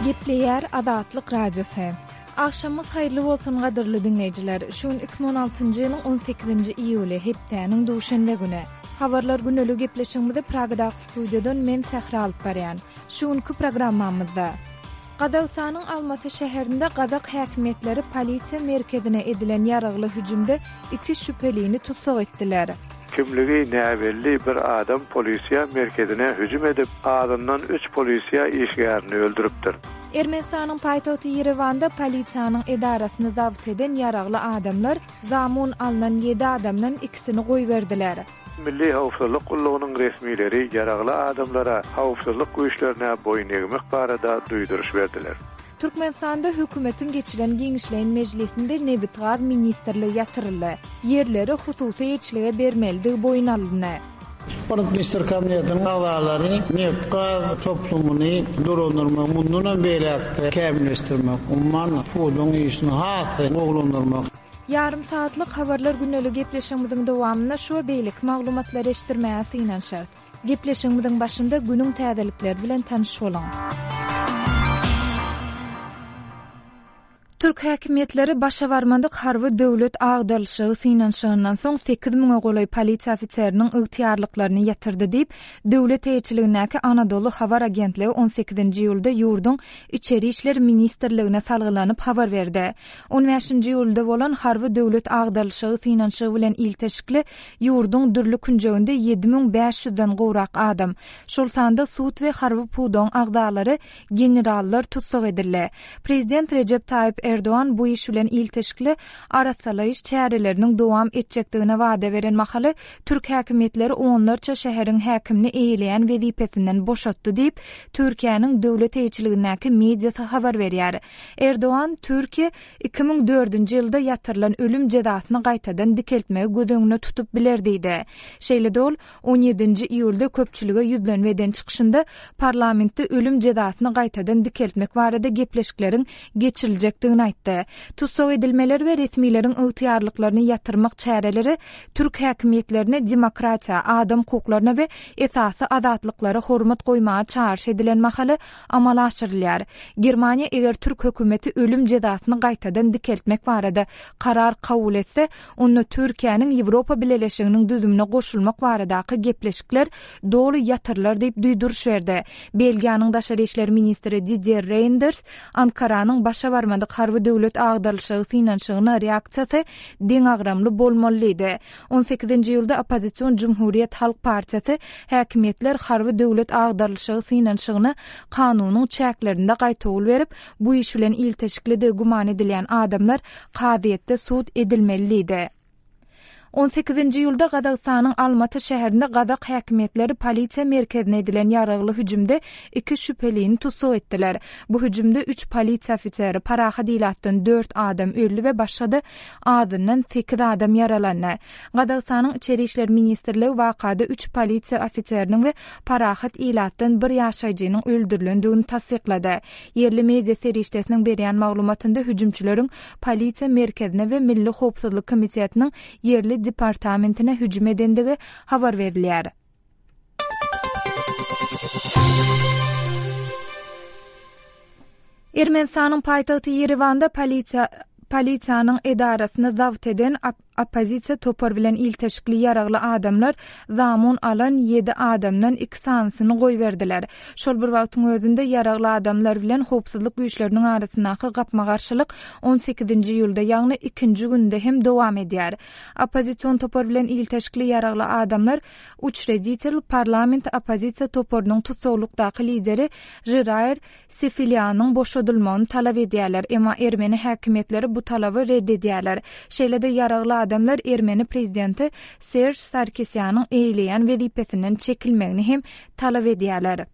Gepleýär Azatlyk Radiosy. Agşamyňyz haýyrly bolsun gadyrly diňleýjiler. Şu gün 2016-njy ýylyň 18-nji iýuly, hepdäniň duşenbe güni. Habarlar güneli gepleşigimizi Pragadaky studiýadan men Sähra alyp barýan. Şu günki programmamyzda. Gazagystanyň Almaty şäherinde gazak häkimiýetleri polisiýa merkezine edilen ýaragly hüjümde iki şübhelini tussag etdiler. Kimligi näbelli bir adam polisiýa merkezine hüjüm edip, azyndan üç polisiýa işgärini öldüripdir. Ermenistanyň paýtagty Ýerewanda polisiýanyň edarasyny zabt eden ýaragly adamlar zamun alnan ýedi adamdan ikisini goýberdiler. Milli howpsuzlyk gullugynyň resmileri ýaragly adamlara howpsuzlyk güýçlerine boýun egmek barada duýduryş berdiler. Türkmenistanda hökümetiň geçiren giňişleýin mejlisinde Nebitgaz ministrligi ýatyryldy. Ýerleri hususy eýeçilige bermelidigi boýun alyndy. Hormatly Ministrler Kabinetiniň agzalary nebit-gaz toplumyny dolandyrmagy mundanam beýläk-de kämilleşdirmek, umuman, pudagyň işini has-da gowulandyrmak. Ýarym sagatlyk Habarlar gündeli gepleşigimiziň dowamynda şu we beýleki maglumatlary eşitdirmäge synanyşarys. Gepleşigimiziň başynda günüň täzelikleri bilen tanyş boluň. Türk häkimiýetleri başa barmadyk harby döwlet agdarylyşygy synanyşygyndan soň sekiz müňe golaý polisiýa ofiseriniň ygtyýarlyklaryny ýatyrdy diýip, döwlet eýeçiligindäki Anadolu habar agentligi on sekizinji iýulda ýurduň Içeri işler ministrligine salgylanyp habar berdi. On bäşinji iýulda bolan harby döwlet agdarylyşygy synanyşygy bilen ilteşikli ýurduň dürli künjeginde 7500-den gowrak adam, şol sanda sud we harby pudagyň agzalary, generallar tussag edildi. Prezident Rejep Taýyp Erdogan bu iş bilen ilteşikli arassalaýyş çäreleriniň dowam etjekdigine wada beren mahaly, türk häkimiýetleri onlarça şäheriň häkimini eýeleýän wezipesinden boşatdy diýip, Türkiýäniň döwlet eýeçiligindäki mediasy habar berýär. Erdogan, Türkiýe 2004-nji ýylda ýatyrylan ölüm jezasyny gaýtadan dikeltmegi göz öňünde tutup biler diýdi. Şeýle-de ol, on ýedinji iýulda köpçülige ýüzlenme eden çykyşynda parlamentde ölüm jezasyny gaýtadan dikeltmek barada gepleşikleriň geçiriljekdigini aýtdy. Tussag edilmeler we resmileriň ygtyýarlyklaryny ýatyrmak çäreleri türk häkimiýetlerine demokratiýa, adam hukuklaryna we esasy azatlyklara hormat goýmaga çagyryş edilen mahaly amala aşyrylýar. Germaniýa eger türk hökümeti ölüm jezasyny gaýtadan dikeltmek barada karar kabul etse, onda Türkiýäniň Ýewropa Bileleşiginiň düzümine goşulmak baradaky gepleşikler doly ýatyrylar diýip duýduryş berdi. Belgiýanyň daşary işler ministri Didier Reýnders Ankaranyň başa barmadyk harby döwlet agdarylyşygy synanyşygyna reaksiýasy deňagramly bolmaly diýdi. On sekizinji iýulda oppozision Jumhuriýet halk partiýasy häkimiýetler harby döwlet agdarylyşygy synanyşygyna kanunyň çäklerinde gaýtawul berip, bu iş bilen ilteşiklidigi güman edilýän adamlar kazyýetde sud edilmeli diýdi. On sekizinji iýulda Gazagystanyň Almaty şäherinde gazak häkimiýetleri polisiýa merkezine edilen ýaragly hüjümde iki şübhelini tussag etdiler. Bu hüjümde üç polisiýa ofiseri, parahat ilatdan dört adam öldi we başga-da azyndan sekiz adam ýaralandy. Gazagystanyň Içeri işler ministrligi wakada üç polisiýa ofiseriniň we parahat ilatdan bir ýaşaýjynyň öldürilendigini tassyklady. Ýerli media serişdesiniň berýän maglumatynda hüjümçileriň polisiýa merkezine we Milli howpsuzlyk komitetiniň ýerli departamentine hüjüm edendigi habar berilýär. Ermenistanyň paýtagty Ýerewanda polisiýa polisiýanyň edarasyny zabt eden oppozisiýa topar bilen ilteşikli ýaragly adamlar zamun alan ýedi adamdan iki sanysyny goýberdiler. Şol bir wagtyň özünde ýaragly adamlar bilen howpsuzlyk güýçleriniň arasyndaky gapma-garşylyk on sekizinji iýulda, ýagny ikinji günde hem dowam edýär. Oppozision topar bilen ilteşikli ýaragly adamlar Uçreditel parlament oppozisiýa toparynyň tussaglykdaky lideri Žiraýr Sefilýanyň boşadylmagyny talap edýärler, emma ermeni häkimiýetleri bu talaby ret edýärler. Şeýle-de ýaragly adamlar ermeni prezidenti Serž Sarkisýanyň eýeleýän wezipesinden çekilmegini hem talap edýärler.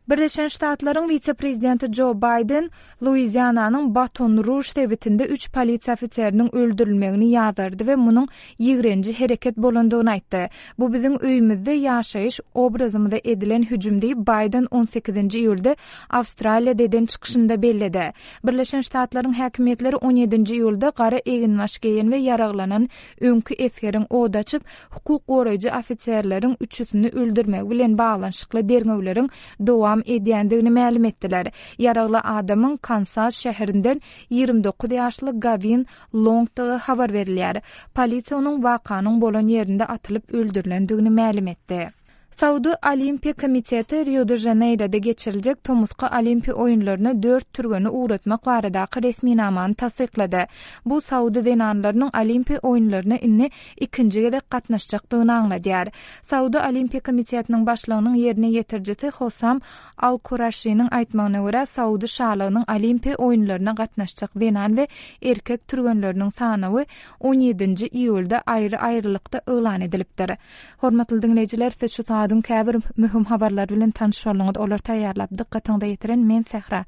Birleşen Ştatlaryň wise-prezidenti Jo Baýden Luiziananyň Baton-Ruž sebitinde üç polisiýa ofiseriniň öldürilmegini ýazgardy we munuň ýigrenji hereket bolandygyny aýtdy. Bu biziň öýümizde ýaşaýyş obrazymyza edilen hüjüm diýip, Baýden on sekizinji iýulda Awstraliýada eden çykyşynda belledi. Birleşen Ştatlaryň häkimiýetleri on ýedinji iýulda gara eginbaş geýen we ýaraglanan öňki esgeriň od açyp, hukuk goraýjy ofiserleriň üçüsini öldürmegi bilen baglanyşykly derňewleriň dowam edýändigini mälim etdiler. Ýaragly adamyň Kansas şäherinden 29 ýaşly Gawin Longdygy habar berilýär. Polisiýa onuň wakanyň bolan ýerinde atylyp öldürilendigini mälim etdi. Saudy Olimpiýa komiteti Rio-de-Žaneýroda geçiriljek tomusky Olimpiýa oýunlaryna dört türgeni ugratmak baradaky resminamany tassyklady. Bu saudy zenanlarynyň Olimpiýa oýunlaryna indi ikinji gezek gatnaşjakdygyny aňladýar. Saudy Olimpiýa komitetiniň başlygynyň ýerine ýetirijisi Hosam Al-Kuraşiniň aýtmagyna görä, Saudy şalygynyň Olimpiýa oýunlaryna gatnaşjak zenan we erkek türgenleriniň sanawy on ýedinji iýulda aýry-aýrylykda yglan edilipdir. Hormatly diňleýjiler, siz şu sagadyň käbir möhüm habarlary bilen tanyş bolduňyz. Olary taýýarlap, dykgatyňyza ýetiren men Sähra.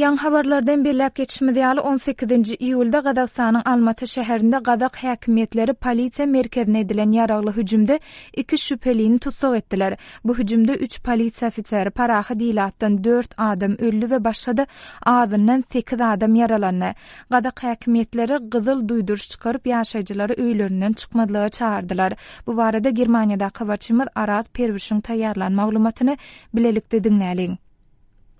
Ýaňy habarlardan belläp geçişimiz ýaly, on sekizinji iýulda Gazagystanyň Almaty şäherinde gazak häkimiýetleri polisiýa merkezine edilen ýaragly hüjümde iki şübhelini tussag etdiler. Bu hüjümde üç polisiýa ofiseri, parahat ilatdan dört adam öldi we başga-da azyndan sekiz adam ýaralandy. Gazak häkimiýetleri gyzyl duýduryş çykaryp, ýaşaýjylary öýlerinden çykmazlyga çagyrdylar. Bu barada Germaniýadaky habarçymyz Araz Perwişiň taýýarlan maglumatyny bilelikde diňläliň.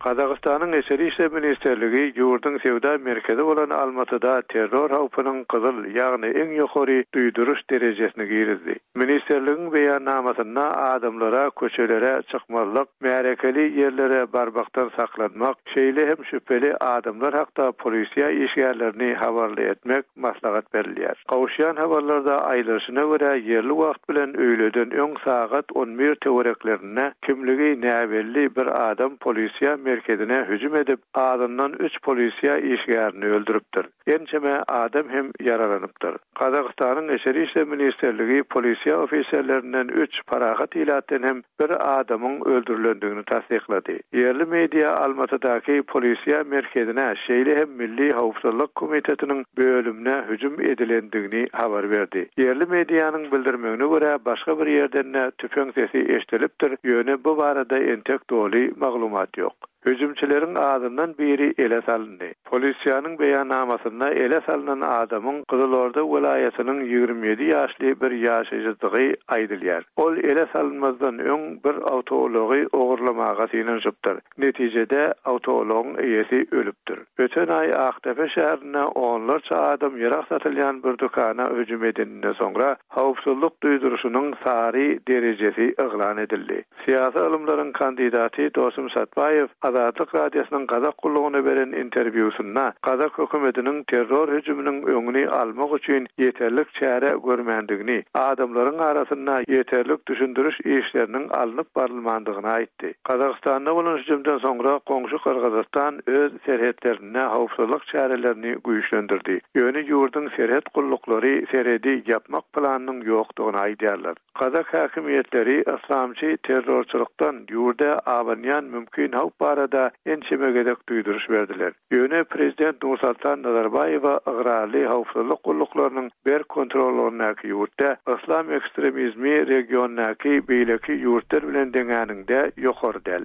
Gazagystanyň Içeri işler ministrligi ýurduň söwda merkezi bolan Almatyda terror howpunyň gyzyl, ýagny iň ýokary duýduryş derejesini girizdi. Ministrligiň beýannamasynda adamlara köçelere çykmazlyk, märekeli ýerlere barmakdan saklanmak, şeýle hem şübheli adamlar hakda polisiýa işgärlerini habarly etmek maslahat berilýär. Gowuşýan habarlarda aýdylyşyna görä, ýerli wagt bilen öýleden öň sagat on bir töwereklerinde kimligi näbelli bir adam polisiýa merkezine hüjüm edip, azyndan üç polisiýa işgärini öldüripdir. Ençeme adam hem ýaralanypdyr. Gazagystanyň Içeri işler ministrligi polisiýa ofiserlerinden üç, parahat ilatdan hem bir adamyň öldürilendigini tassyklady. Ýerli media Almatydaky polisiýa merkezine, şeýle hem Milli howpsuzlyk komitetiniň bölümine hüjüm edilendigini habar berdi. Ýerli medianyň bildirmegine görä, başga bir ýerden-de tüpeň sesi eşidilipdir, ýöne bu barada entek doly maglumat ýok. Hüjümçileriň azyndan biri ele salyndy. Polisiýanyň beýannamasynda ele salnan adamyň Gyzylorda welaýatynyň 27 ýaşly bir ýaşaýjydygy aýdylýar. Ol ele salynmazdan öň bir awtoulagy ogurlamaga synanyşypdyr. Netijede, awtoulagyň eýesi ölüpdir. Öten aý Akdepe şäherinde onlarça adam ýarag satylýan bir dükana hüjüm edeninden soňra, howpsuzlyk duýduryşynyň sary derejesi yglan edildi. Syýasy ylymlaryň kandidaty Dosum Satbaýew Azatlyk Radiosynyň Gazak gullugyna beren interwýusynda gazak hökümetiniň terror hüjüminiň öňüni almak üçin ýeterlik çäre görmändigini, adamlaryň arasynda ýeterlik düşündiriş işleriniň alnyp barylmandygyny aýtdy. Gazagystanda bolan hüjümden soňra goňşy Gyrgyzystan öz serhetlerinde howpsuzlyk çärelerini güýçlendirdi. Ýöne ýurduň serhet gulluklary serhedi ýapmak planynyň ýokdugyny aýdýarlar. Gazak häkimiýetleri yslamçy terrorçylykdan ýurda abanýan mümkin howp barada ençeme gezek duýduryş berdiler. Ýöne prezident Nursultan Nazarbaýewe ygrarly howpsuzlyk gulluklarynyň berk kontrollygyndaky ýurtda yslam ekstremizmi regiondaky beýleki ýurtlar bilen deňäniňde ýokary däl.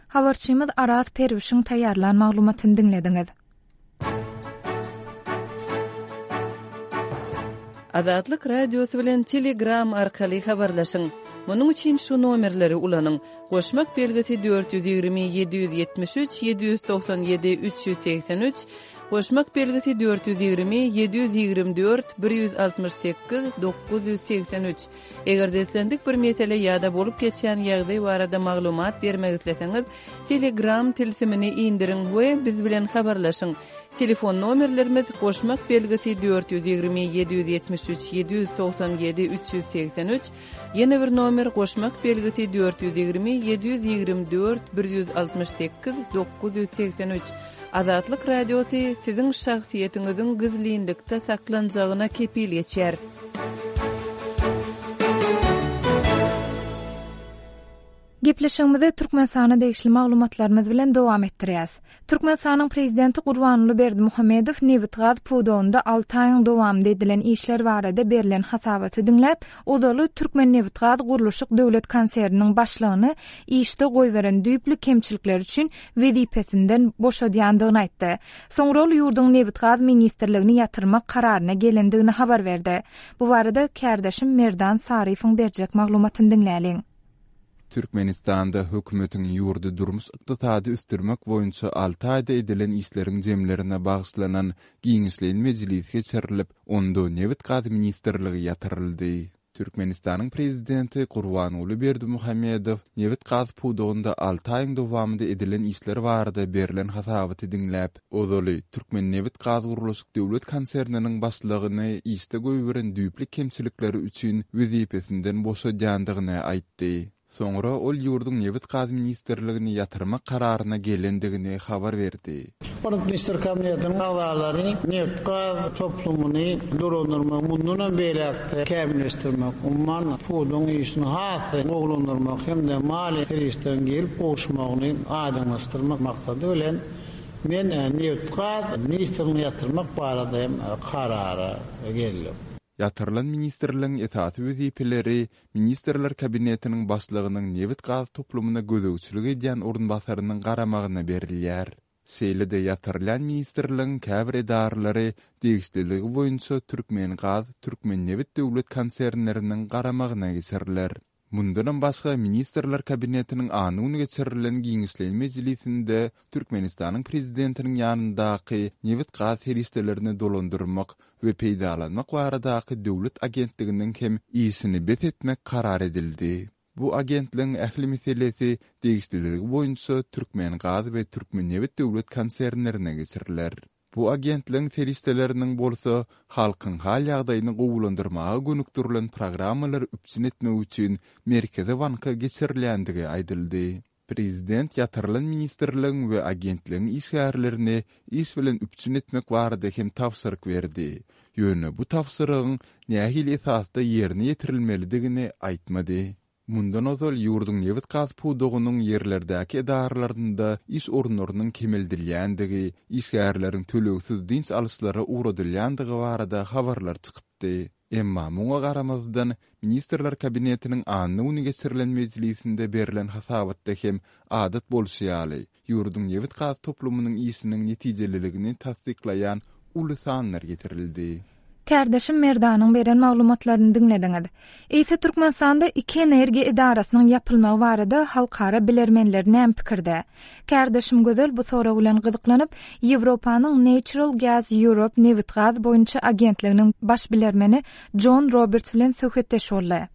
Habarçymyz Araz Perwişiň taýýarlan maglumatyny diňlediňiz. Azatlyk Radiosy bilen Telegram arkaly habarlaşyň! Munuň üçin şu nomerleri ulanyň, goşmak belgisi 420 773 797 383, goşmak belgisi 420 724 168 983. Eger-de islendik bir mesele ýa-da bolup geçýän ýagdaý barada maglumat bermek isleseňiz, Telegram tilsimini indiriň we biz bilen habarlaşyň. Telefon nomerlerimiz, goşmak belgisi 420 773 797 383, ýene bir nomer goşmak belgisi 420 724 168 983. Azatlyk Radiosy siziň şahsyýetiňiziň gizlinlikde saklanjagyna kepil geçýär. Gepleşigimizi Türkmenistana degişli maglumatlarymyz bilen dowam etdirýäs. Türkmenistanyň Prezidenti Gurbanguly Berdimuhamedow nebitgaz pudagynda alty aýyň dowamynda edilen işler barada berlen hasabaty diňläp, ozaly Türkmennebitgazgurluşyk döwlet konserniniň başlygyny işde goýberen düýpli kemçilikleri üçin wezipesinden boşadýandygyny aýtdy. Soňra ol ýurduň Nebitgaz ministrligini ýatyrmak kararyna gelendigini habar berdi. Bu barada kärdeşim Merdan Saryýewiň berjek maglumatyny diňläliň. Türkmenistanda hökümetiň ýurdy durmuş-ykdysady ösdürmek boýunça alty aýda edilen işleriň jemlerine bagyşlanan giňişleýin mejlis geçirilip, onda Nebit-gaz ministrligi ýatyryldy. Türkmenistanyň Prezidenti Gurbanguly Berdimuhamedow nebit-gaz pudagynda alty aýyň dowamynda edilen işler barada berlen hasabaty diňläp, ozaly Türkmennebitgazgurluşyk döwlet konserniniň başlygyny işde goýberen düýpli kemçilikleri üçin wezipesinden boşadýandygyny aýtdy. Soňra ol ýurduň Nebit-gaz ministrligini ýatyrmak kararyna gelendigini habar berdi. Hormatly Ministrler Kabinetiniň agzalary nebit-gaz toplumyny dolandyrmagy mundanam beýläk-de kämilleşdirmek, umuman, pudagyň işini has-da gowulandyrmak hem-de maliýe serişdeleriň gelip gowuşmagyny aýdyňlaşdyrmak maksady bilen, men nebit-gaz ministrligini ýatyrmak barada hem karara geldim. Ýatyrylan ministrligiň esasy wezipeleri Ministrler Kabinetiniň Başlygynyň nebit-gaz toplumyna gözegçilik edýän orunbasarynyň garamagyna berilýär. Şeýle-de ýatyrylýan ministrligiň käbir edaralary degişliligi boýunça Türkmengaz, Türkmennebit döwlet konsernleriniň garamagyna geçiriler. Mundanam başga, Ministrler Kabinetiniň anna güni geçirilen giňişleýin mejlisinde Türkmenistanyň Prezidentiniň ýanyndaky Nebit-gaz serişdelerini dolandyrmak we peýdalanmak baradaky döwlet agentliginiň hem işini bes etmek karar edildi. Bu agentligiň ähli meselesi degişliligi boýunça Türkmengaz we Türkmennebit döwlet konsernlerine geçiriler. Bu agentligiň serişdeleriniň bolsa halkyň hal-ýagdaýyny gowulandyrmaga gönükdirilen programmalary üpjün etmek üçin Merkezi banka geçirilýändigi aýdyldy. Prezident ýatyrylan ministrligiň we agentligiň işgärlerini iş bilen üpjün etmek barada hem tabşyryk berdi. Ýöne bu tabşyrygyň nähili esasda ýerine ýetirilmelidigini aýtmady. Mundan ozal ýurduň nebit-gaz pudagynyň ýerlerdäki edaralarynda iş orunlarynyň kemeldilýändigi, işgärleriň tölegsiz dynç alyşlara ugradylýandygy barada habarlar çykypdy. Emma muňa garamazdan, Ministrler Kabinetiniň anna güni geçirilen mejlisinde berlen hasabatda hem adat bolşy ýaly, ýurduň nebit-gaz toplumynyň işiniň netijeliligini tassyklaýan uly sanlar getirildi. Kärdeşim Merdanyň beren maglumatlaryny diňlediňiz. Eýse Türkmenistanda iki energiýa edarasynyň ýapylmagy barada halkara bilermenler näme pikirde? Kärdeşim Gözel bu sorag bilen gyzyklanyp, Ýewropanyň Natural Gas Europe nebit-gaz boýunça agentliginiň baş bilermeni Jon Roberts bilen söhbetdeş boldy.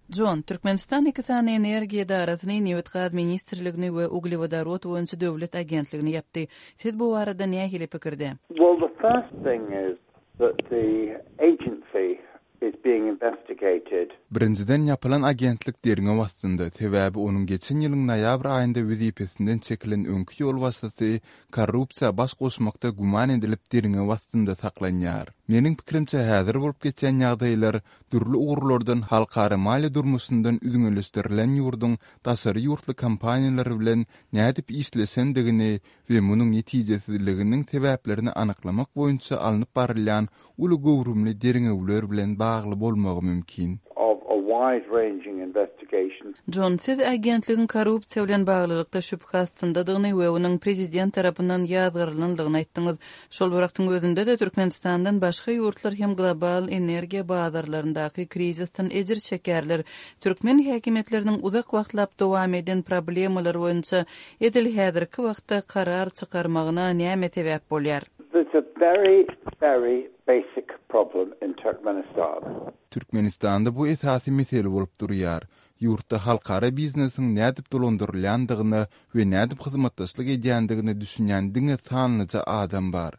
Jon, Türkmenistan iki sany energiýa edarasyny, Nebit-gaz ministrligini we Uglewodorod boýunça döwlet agentligini ýapdy. Siz bu barada nähili pikirde? Well, the first thing is that the agency is being investigated. Birinjiden, ýapylan agentlik derňew astynda, sebäbi onuň geçen ýylyň noýabr aýynda wezipesinden çekilen öňki ýolbaşçysy korrupsiýa baş goşmakda güman edilip derňew astynda saklanýar. Meniň pikirimçe, häzir bolup geçýän ýagdaýlar dürli ugurlardan halkara maliýe durmuşyndan üzňeleşdirilen ýurduň daşary ýurtly kompaniýalar bilen nädip işleşendigini we munuň netijesizliginiň sebäplerini anyklamak boýunça alnyp barylýan uly göwrümli derňewler bilen bagly bolmagy mümkin. of a wide-ranging investigation. Jon, siz agentligiň korrupsiýa bilen baglylykda şübhe astyndadygyny we onuň prezident tarapyndan ýazgarylandygyny aýtdyňyz. Şol bir wagtyň özünde-de, Türkmenistandan başga ýurtlar hem global energiýa bazarlaryndaky krizisden ejir çekýärler. Türkmen häkimiýetleriniň uzak wagtlap dowam eden problemalar boýunça edil häzirki wagtda karar çykarmagyna näme sebäp bolýar? There's a very, very basic problem in Turkmenistan. Türkmenistanda bu esasy mesele bolup durýar. Ýurtda halkara biznesiň nädip dolandyrylýandygyna we nädip hyzmatdaşlyk edýändigine düşünýän diňe sanlyja adam bar.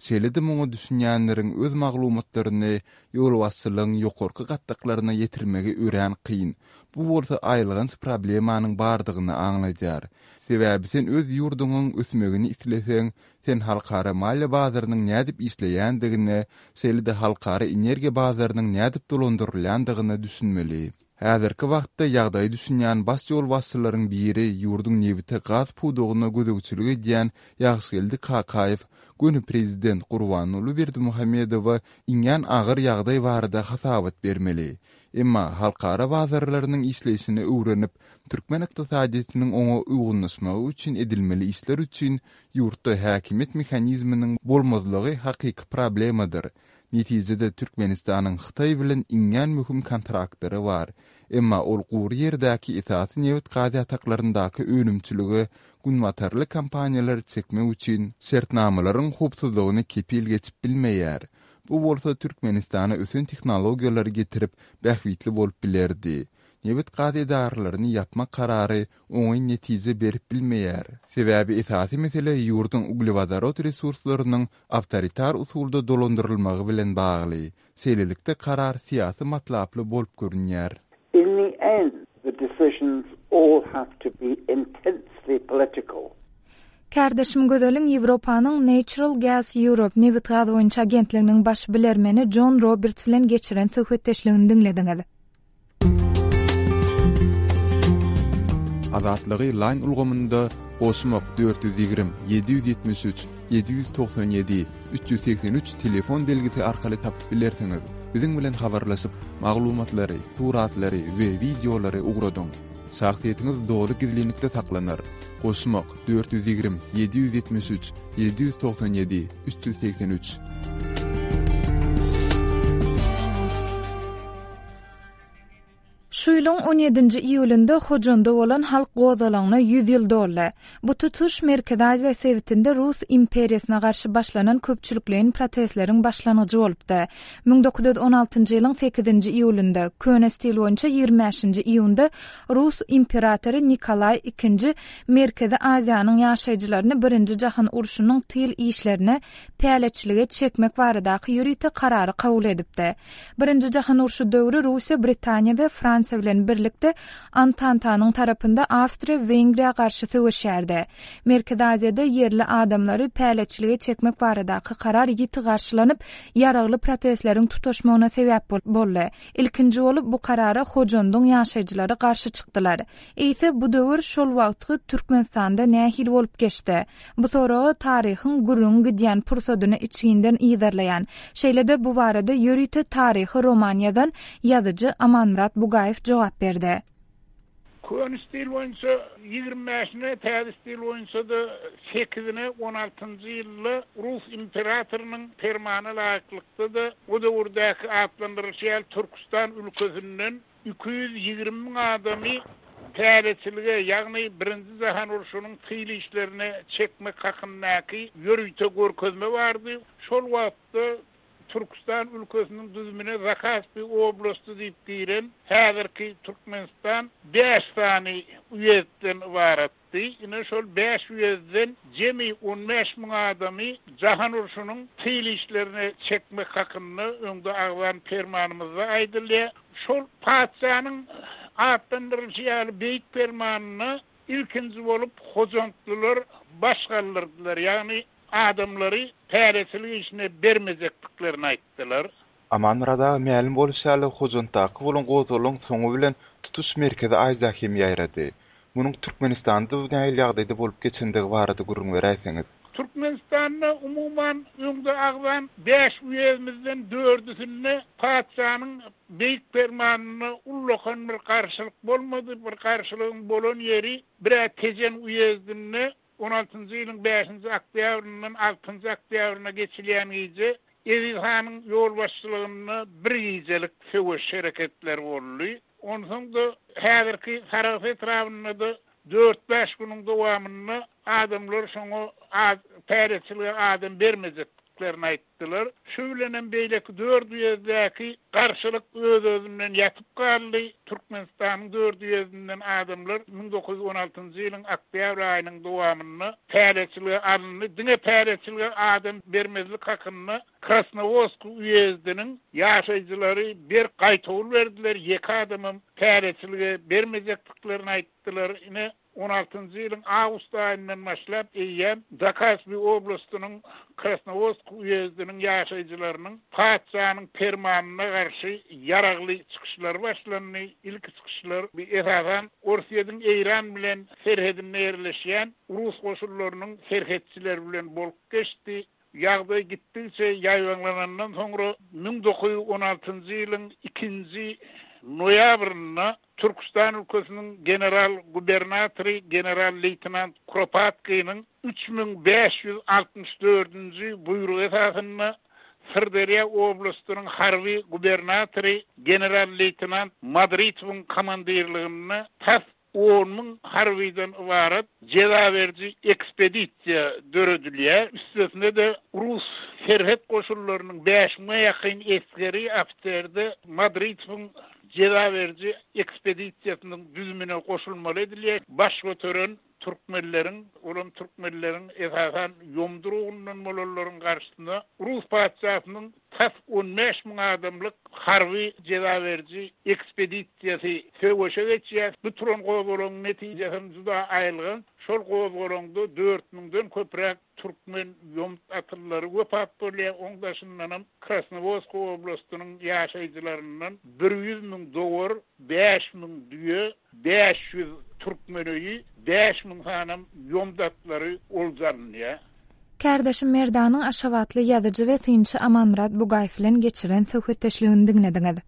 Şeýle-de muňa düşünýänleriň öz maglumatlaryny ýolbaşçylygyň ýokarky gatlaklaryna ýetirmegi örän kyn. Bu bolsa aýylganç problemanyň bardygyny aňladýar. Sebäbi sen öz ýurduňyň ösmegini isleseň, sen halkara maliýe bazarynyň nädip işleýändigine, şeýle-de halkara energiýa bazarynyň nädip dolandyrylýandygyna düşünmeli. Häzirki wagtda ýagdaýa düşünýän baş ýolbaşçylaryň biri ýurduň nebite gaz pudagyna gözegçilik edýän Ýagşygeldi Kakaýew göni prezident Gurbanguly Berdimuhamedowa iňňän agyr ýagdaý barada hasabat bermeli. Emma halkara bazarlarynyň işleýşini öwrenip, türkmen ykdysadyýetiniň oňa uýgunlaşmagy üçin edilmeli işler üçin ýurtda häkimiýet mehanizminiň bolmazlygy hakyky problemadyr. Netijede Türkmenistanyň Hytaý bilen iňňän möhüm kontraktlary bar. Emma ol gury ýerdäki esasy nebit-gaz ýataklaryndaky önümçilige günbatarly kompaniýalary çekmek üçin şertnamalaryň howpsuzlygyny kepil geçip bilmeýär. Bu bolsa Türkmenistana ösen tehnologiýalary getirip, bähbitli bolup bilerdi. Nebit-gaz edaralaryny ýapmak karary oňyn netije berip bilmeýär. Sebäbi esasy mesele ýurduň uglewodorod resurslarynyň awtoritar usulda dolandyrylmagy bilen bagly. Şeýlelikde karar syýasy matlaply bolup görünýär. In the end, the decisions all have to be intensely political. Kärdeşim Gözeliň Ýewropanyň Natural Gas Europe nebit-gaz boýunça agentliginiň baş bilermeni Jon Roberts bilen geçiren söhbetdeşligini diňlediňiz. Azatlygy Line ulgamynda goşmak 420 773 797 383 telefon belgisi arkaly tapyp bilersiňiz. Biziň bilen habarlaşyp, maglumatlary, suratlary we wideolary ugradyň. Şahsyýetiňiz doly gizlinlikde saklanar. Goşmak, 420, 773, 797, 383. Şu ýylyň on ýedinji iýulynda Hojanda bolan halk gozgalaňyna 100 ýyl doldy. Bu tutuş Merkezi Aziýa sebitinde Rus imperiýasyna garşy başlanan köpçülikleýin protestleriň başlangyjy bolupdy. 1916-njy ýylyň sekizinji iýulynda, köne stil boýunça ýigrimi bäşinji iýunda Rus imperatory Nikolaý II Merkezi Aziýanyň ýaşaýjylaryny Birinji jahan urşunyň tyl işlerine päleçilige çekmek baradaky ýörite karary kabul edipdi. Birinji jahan urşy döwri Russiýa Britaniýa we Fransiýa bilen birlikde Antantanyň tarapynda Awstriýa-Wengriýa garşy söweşýärdi. Merkezi Aziýada ýerli adamlary päleçilige çekmek baradaky karar ýiti garşylanyp, ýaragly protestleriň tutaşmagyna sebäp boldy. Ilkinji bolup bu karara Hojandyň ýaşaýjylary garşy çykdylar. Eýse bu döwür şol wagtky Türkmenistanda nähili bolup geçdi? Bu soraga taryhyň gürrüňi gidýän pursadyny içginden yzarlaýan, şeýle-de bu barada ýörite taryhy roman ýazan ýazyjy Amanmyrat Bugaýew jogap berdi. Köne stil boýunça 25-ine, täze stil boýunça-da sekizine on altynjy ýylda rus imperatorynyň permana laýyklykda-da o döwürdäki atlandyrylyşy ýaly Türküstan ülkesinden 220 müň adamy päleçilige, ýagny Birinji jahan urşunyň tyl işlerine çekmek hakyndaky ýörite görkezme bardy. Şol wagtda Türküstan ülkesiniň düzümine Zakaspi oblasty diýip giren häzirki Türkmenistan bäş sany uýezdden ybaratdy. Ine, şol bäş uýezdden jemi 15 müň adamy jahan urşunyň tyl işlerine çekmek hakynda öňde agzan permanymyzda aýdylýar. Şol patyşanyň atlandyrylyşy ýaly beýik permanyna ilkinji bolup hojantlylar baş galdyrdylar, ýagny adamlary päleçilik işine bermejekdiklerini aýtdylar. Amanmyrat aga mälim bolşy ýaly Hojantdaky bolan gozgalaň soňy bilen tutuş Merkezi Aziýa hem ýaýrady. Munuň Türkmenistanda nähili ýagdaýda bolup geçendigi barada gürrüň beräýseňiz. Türkmenistanda umuman öňde agzan bäş uýezdimizden dördüsinde patyşanyň beýik permanynda ullakan bir garşylyk bolmady. Bir garşylygyň bolan ýeri bir-ä Tejen uýezdinde On altynjy ýylyň bäşinji oktýabryndan altynjy oktýabryna geçilýän gije Eziz hanyň ýolbaşçylygynda bir gijelik söweş hereketleri boldy. Onsoň-da häzirki Sarahs etrabynda-da dört-bäş günüň dowamynda adamlar şoňa az päreçilige adam bermejekdiklerini. bermejekdiklerini aýtdylar. Şu bilenem beýleki dört uýezdäki garşylyk öz-özünden ýatyp galdy. Türkmenistanyň dört uýezdinden adamlar 1916-njy ýylyň oktýabr aýynyň dowamynda päleçilige alyndy. Diňe päleçilige adam bermezlik hakynda Krasnowodsk uýezdiniň ýaşaýjylary berk gaýtawul berdiler, ýeke adamam päleçilige bermejekdiklerini aýtdylar. Ine, on altynjy ýylyň awgust aýyndan başlap eýýäm Zakaspi oblastynyň Krasnowodsk uýezdiniň ýaşaýjylarynyň patyşanyň permanyna garşy ýaragly çykyşlary başlandy. Ilki çykyşlar, esasan, Orsýetiň Eýran bilen serhedinde ýerleşýän rus goşunlarynyň serhetçileri bilen bolup geçdi. Ýagdaý gitdigiçe ýaýbaňlanandan soňra 1916-njy ýylyň ikinji noýabrynda Türküstan ülkesiniň general-gubernatory general-leýtenant Kuropatkiniň 3564-nji buýrugy esasynda Syrderýa oblastynyň harby gubernatory general-leýtenant Madritowyň komandirliginde tas 10,000 harbydan ybarat jeza beriji ekspedisiýa döredilýär. Üstesine-de, rus serhet goşunlarynyň bäş müňe ýakyn esgeri, ofiseri-de Madritowyň jeza beriji ekspedisiýasynyň düzümine goşulmaly edilýär. Baş göteren türkmenleriň, olam türkmenleriň esasan ýomdur ugrundan bolanlaryň garşysyna rus patyşasynyň tas 15 000 adamlyk harby jeza beriji ekspedisiýasy söweşe geçýär. Bu turan gozgalaňyň netijesem juda aýylganç. Şol gozgalaňda dört müňden köpräk türkmen ýomut atlylary wepat bolýar. Oň daşyndanam Krasnowodsk oblastynyň ýaşaýjylaryndan 100 000 dowar, 5000 düýe, 500 türkmen öýi, 5000 sanam ýomut atlary olja alynýar. Kärdeşim Merdanyň aşgabatly ýazyjy we synçy Amanmyrat Bugaýew bilen geçiren söhbetdeşligini diňlediňiz.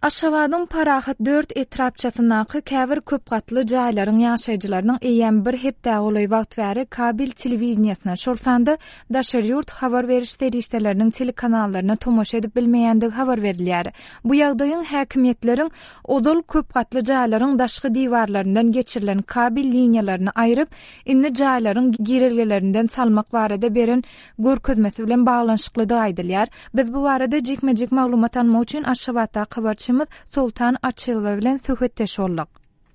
Aşgabadyň Parahat dört etrapçasyndaky käbir köp gatly jaýlaryň ýaşaýjylarynyň eýýäm bir hepdä golaý wagt bäri kabel telewideniýesine, şol sanda daşary ýurt habar beriş serişdeleriniň telekanallaryna tomaşa edip bilmeýändigi habar berilýär. Bu ýagdaýyň häkimiýetleriň ozal köp gatly jaýlaryň daşky diwarlaryndan geçirilen kabel liniýalaryny aýryp, indi jaýlaryň girelgelerinden salmak barada beren görkezmesi bilen baglanyşyklydygy aýdylýar. Biz bu barada jikme-jik maglumat almak üçin Aşgabatdaky habarçymyz Soltan Açylowa bilen söhbetdeş bolduk.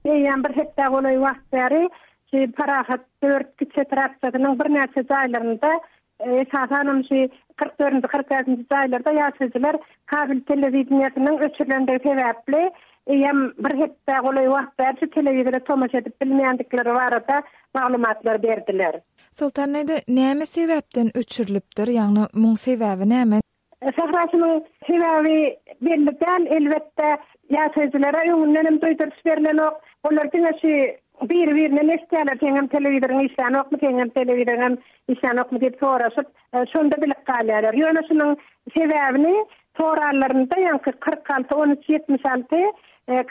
Eýýäm bir hepdä golaý wagt bäri şu Parahat dört kiçi etrapçasynyň birnäçe jaýlarynda Esasanam şu 40 dördünji, 45-nji jaýlarda ýaşaýjylar kabel telewideniýesiniň öçürilendigi sebäpli, eýýäm bir hepdä golaý wagt bäri şu telewizora tomaşa edip bilmeýändikleri barada maglumatlar berdiler. Soltan däde, näme sebäpden öçürilipdir, ýagny muň sebäbi näme? Sährasynyň sebäbi belli däl, elbetde, ýaşaýjylara öňündenem duýduryş berlenok. Olar diňe şu biri-birinden eşidýärler, seňem telewizoryň işlänokmy, seňem telewizoryňam işlänokmy diýip soraşyp, şonda bilip galýarlar. Ýöne şunuň sebäbini soranlarynda ýaňky 46 13 76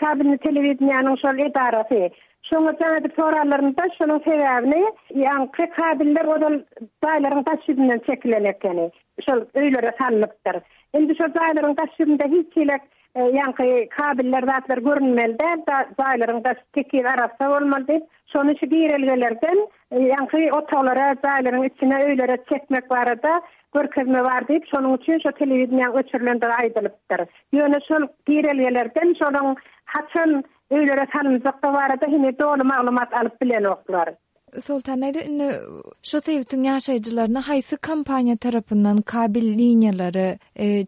kabelni telewideniýäniň şol edarasy şoňa jaň edip soranlarynda şonuň sebäbini ýaňky kabeller ozal jaýlaryň daş ýüzünden çekilen ekeni. Şol öýlere salnypdyr. Indi şol jaýlaryň daş ýüzünde hiç hili ýaňky kabeller zatlar görünmeli däl, jaýlaryň daşy tekiz arassa bolmaly diýip, şony şu girelgelerden ýaňky otaglara, jaýlaryň içine, öýlere çekmek barada görkezme bar diýip, şonuň üçin şo telewideniýäň öçürilendigi aýdylypdyr. Ýöne şol girelgelerden şolaň haçan öýlere salynjakdygy barada heniz doly maglumat alyp bilenoklar. Soltan däde indi şu sebitiň ýaşaýjylaryna haýsy kompaniýa tarapyndan kabel liniýalary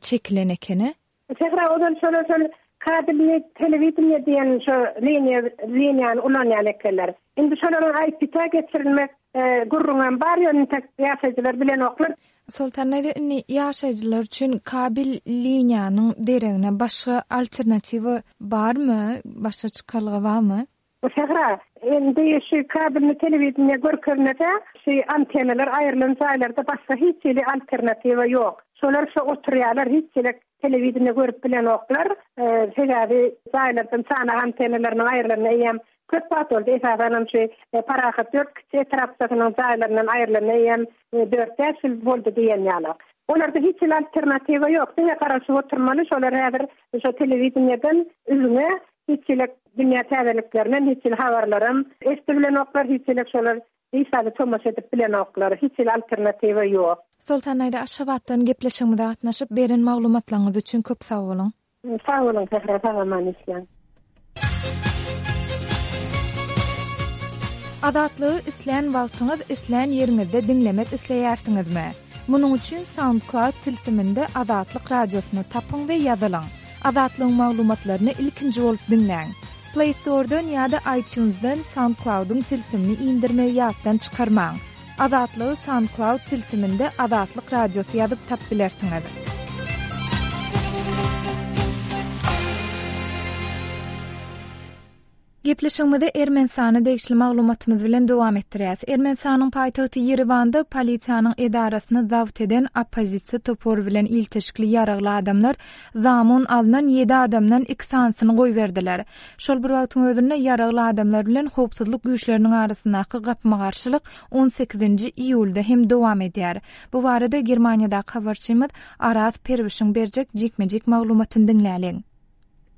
çekilen ekeni? Sähra ozal şolar şol kabelnyý telewideniýe diýen şo liniýa liniýany ulanýan ekenler. Indi şolaryň IP-tä geçirilmek gürrüňem bar ýöne intek ýaşaýjylar bilenoklar. Soltan däde indi ýaşaýjylar üçin kabel liniýanyň deregine başga alternatiwa barmy, başga çykalga barmy? Sähra, indi şu kabelni telewideniýe görkezmese, şu antennalar aýrylan jaýlarda başga hiç hili alternatiwa ýok. Şolar şo oturýarlar, hiç hili telewideniýe görüp bilenoklar. Sebäbi jaýlardan çanak antennalarynyň aýrylanyna eýýäm köp wagt boldy. Esasanam şu Parahat dört kiçi etrapçasynyň jaýlaryndan aýrylanyna eýýäm dört-bäş ýyl boldy diýen ýaly. Olarda hiç hili alternatiwa ýok. Diňe garaşyp oturmaly. Şolar häzir şo telewideniýeden üzňe. Hiç hili dünýä täzeliklerinden hiç hili habarlaram eşidibilenoklar, hiç hili şolar hiç zada tomaşa edip bilenoklar. Hiç hili alternatiwa ýok. Soltan daýza Aşgabatdan gepleşigimize gatnaşyp beren maglumatlaryňyz üçin köp sag boluň. Sag boluň Sähra sag aman işläň. Azatlygy islän wagtyňyz islän ýeriňizde diňlemek isleýärsiňizmi? Munuň üçin SoundCloud tilsiminde Azatlyk Radiosyny tapyň we ýazylyň. Azatlygyň maglumatlaryny ilkinji bolup diňläň. Play Store-dan ýa-da iTunes-dan SoundCloud-yň tilsimini indirmegi ýatdan çykarmaň. Azatlygy SoundCloud tilsiminde Azatlyk Radiosy ýazyp tap bilersiňiz. Gepleşigimizi Ermenistana degişli maglumatymyz bilen dowam etdirýäs. Ermenistanyň paýtagty Ýerewanda polisiýanyň edarasyny zabt eden oppozisiýa topary bilen ilteşikli ýaragly adamlar zamun alnan ýedi adamdan iki sanysyny goýberdiler. Şol bir wagtyň özünde ýaragly adamlar bilen howpsuzlyk güýçleriniň arasyndaky gapma-garşylyk on sekizinji iýulda hem dowam edýär. Bu barada Germaniýadaky habarçymyz Araz Perwişiň berjek jikme-jik maglumatyny diňläliň.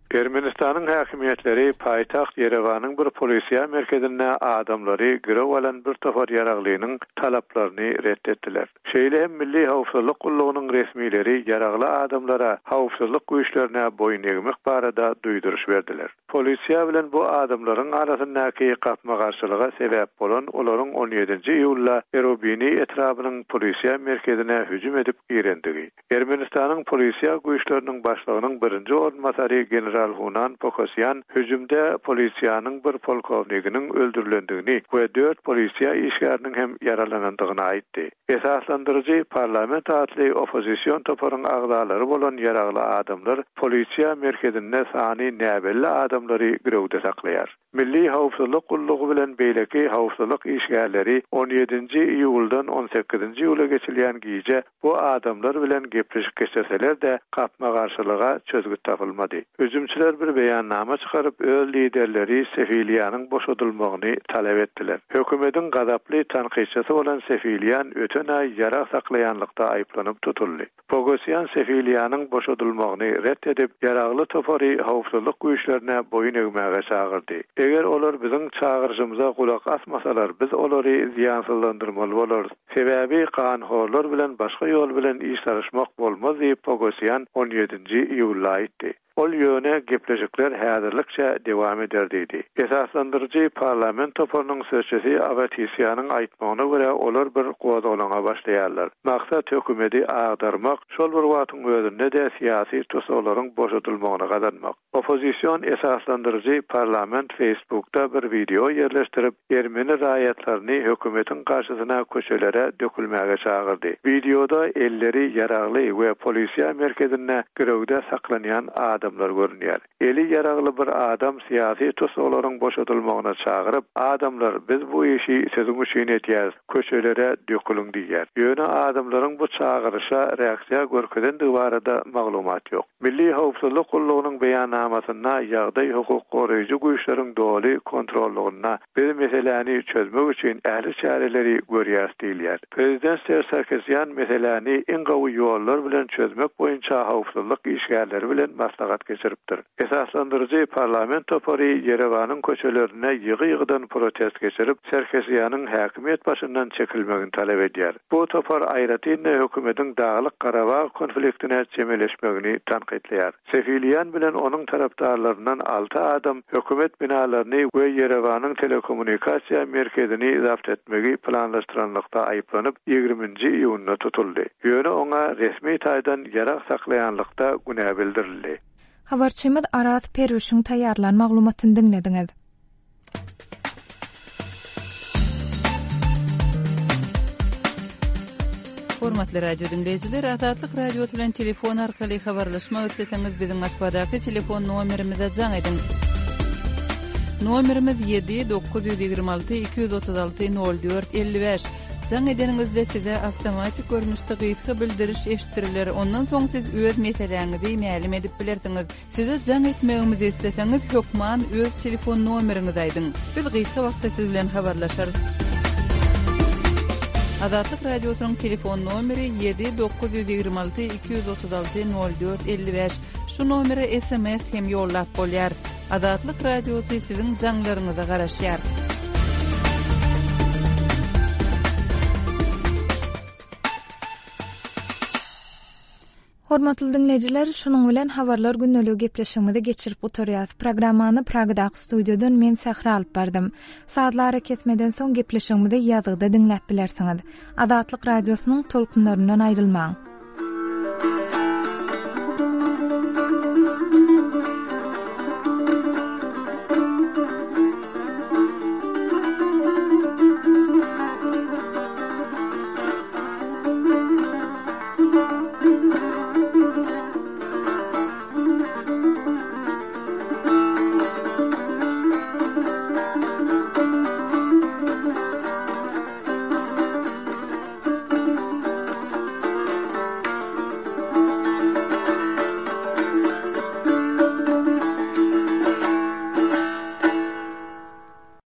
Ermenistanyň häkimiýetleri paýtagt Ýerewanyň bir polisiýa merkezinde adamlary girew alan bir topar ýaraglynyň talaplaryny ret etdiler. Şeýle hem Milli howpsuzlyk gullugynyň resmileri ýaragly adamlara howpsuzlyk güýçlerine boýun egmek barada duýduryş berdiler. Polisiýa bilen bu adamlaryň arasyndaky gapma-garşylyga sebäp bolan olaryň on ýedinji iýulda Erobini etrabynyň polisiýa merkezine hüjüm edip girendigi. Ermenistanyň polisiýa güýçleriniň başlygynyň birinji orunbasary general Hunan Pokosýan hüjümde polisiýanyň bir polkowniginiň öldürilendigini we dört polisiýa işgäriniň hem ýaralanandygyny aýtdy. Esaslandyryjy Parlament atly oppozision toparyň agzalary bolan ýaragly adamlar polisiýa merkezinde sany näbelli adamlary girewde saklaýar. Milli howpsuzlyk gullugy bilen beýleki howpsuzlyk işgärleri on ýedinji iýuldan on sekizinji iýula geçilýän gije bu adamlar bilen gepleşik geçirseler-de, gapma-garşylyga çözgüt tapylmady. Hüjümçiler bir beýannama çykaryp, öz liderleri Sefiliýanyň boşadylmagyny talap etdiler. Hökümetiň gazaply tankytçysy bolan Sefiliýan öten aý ýarag saklaýanlykda aýyplanyp tutuldy. Pogosýan Sefiliýanyň boşadylmagyny ret edip, ýaragly topary howpsuzlyk güýçlerine boýun egmäge çagyrdy. Eger olar biziň çagyryşymyza gulak asmasalar, biz olary zyýansyzlandyrmaly bolarys. Sebäbi ganhorlar bilen başga ýol bilen iş salyşmak bolmaz diýip, Pogosýan on ýedinji iýulda aýtdy. Ol ýöne gepleşikler häzirlikçe dewam eder diýdi. Esaslandyryjy parlament toparynyň sözçüsi Awetisýanyň aýtmagyna görä, olar bir gozgalaňa başlaýarlar. Maksat hökümeti agdarmak, şol bir wagtyň özünde-de syýasy tussaglaryň boşadylmagyny gazanmak. Oppozision esaslandyryjy parlament Facebookda bir wideo ýerleşdirip, ermeni raýatlaryny hökümetiň garşysyna köçelere dökülmäge çagyrdy. Wideoda elleri ýaragly we polisiýa merkezinde girewde saklanýan adamlar görünýär. Eli ýaragly bir adam syýasy tussaglaryň boşadylmagyna çagyryp, Adamlar, biz bu işi siziň üçin edýäris, köçelere döküliň diýýär. Ýöne adamlaryň bu çagyryşa reaksiýa görkezendigi barada maglumat ýok. Milli howpsuzlyk gullugynyň beýannamasynda ýagdaý hukuk goraýjy güýçleriň doly kontrollygynda, biz meseläni çözmek üçin ähli çäreleri görýäris diýilýär. Prezident Serž Sarkisýan meseläni iň gowy ýollar bilen çözmek boýunça howpsuzlyk işgärleri bilen maslahat geçiripdir. Esaslandyryjy parlament topary Ýerewanyň köçelerinde ýygy-ýygydan protest geçirip, Sarkisýanyň häkimiýet başyndan çekilmegini talap edýär. Bu topar aýratyn-da hökümetiň Daglyk-Garabag konfliktine çemeleşmegini tankytlaýar. Sefiliýan bilen onuň tarapdarlaryndan alty adam hökümet binalaryny we Ýerewanyň telekommunikasiýa merkezini zabt etmegi planlaşdyranlykda aýyplanyp, ýigriminji iýunda tutuldy. Ýöne oňa resmi taýdan ýarag saklaýanlykda günä bildirildi. Habarçymyz Araz Perwişiň taýýarlan maglumatyny diňlediňiz. Hormatly radio diňleýjiler, Azatlyk Radiosy bilen telefon arkaly habarlaşmak isleseňiz, biziň Moskwadaky telefon nomerimize jaň ediň. Nomerimiz 7 926 236 04 55. Jaň edeniňizde size awtomatik görnüşde gysga bildiriş eşitdiriler, ondan soň siz öz meseläňizi mälim edip bilersiňiz. Size jaň etmegimizi isleseňiz, hökman öz telefon nomeriňizi aýdyň. Biz gysga wagtda siz bilen habarlaşarys. Azatlyk Radiosynyň telefon nomeri 7 926 236 04 55. Şu nomere sms hem ýollap bolýar. Azatlyk Radiosy siziň jaňlaryňyza garaşýar. Hormatly diňleýjiler, şunuň bilen Habarlar gündeligi gepleşigimizi geçirip gutarýas. Programmany Pragadaky studiýadan men Sähra alyp bardym. Sazly arakesmeden soň gepleşigimizi ýazgyda diňläp bilersiňiz. Azatlyk Radiosynyň tolkunlaryndan aýrylmaň!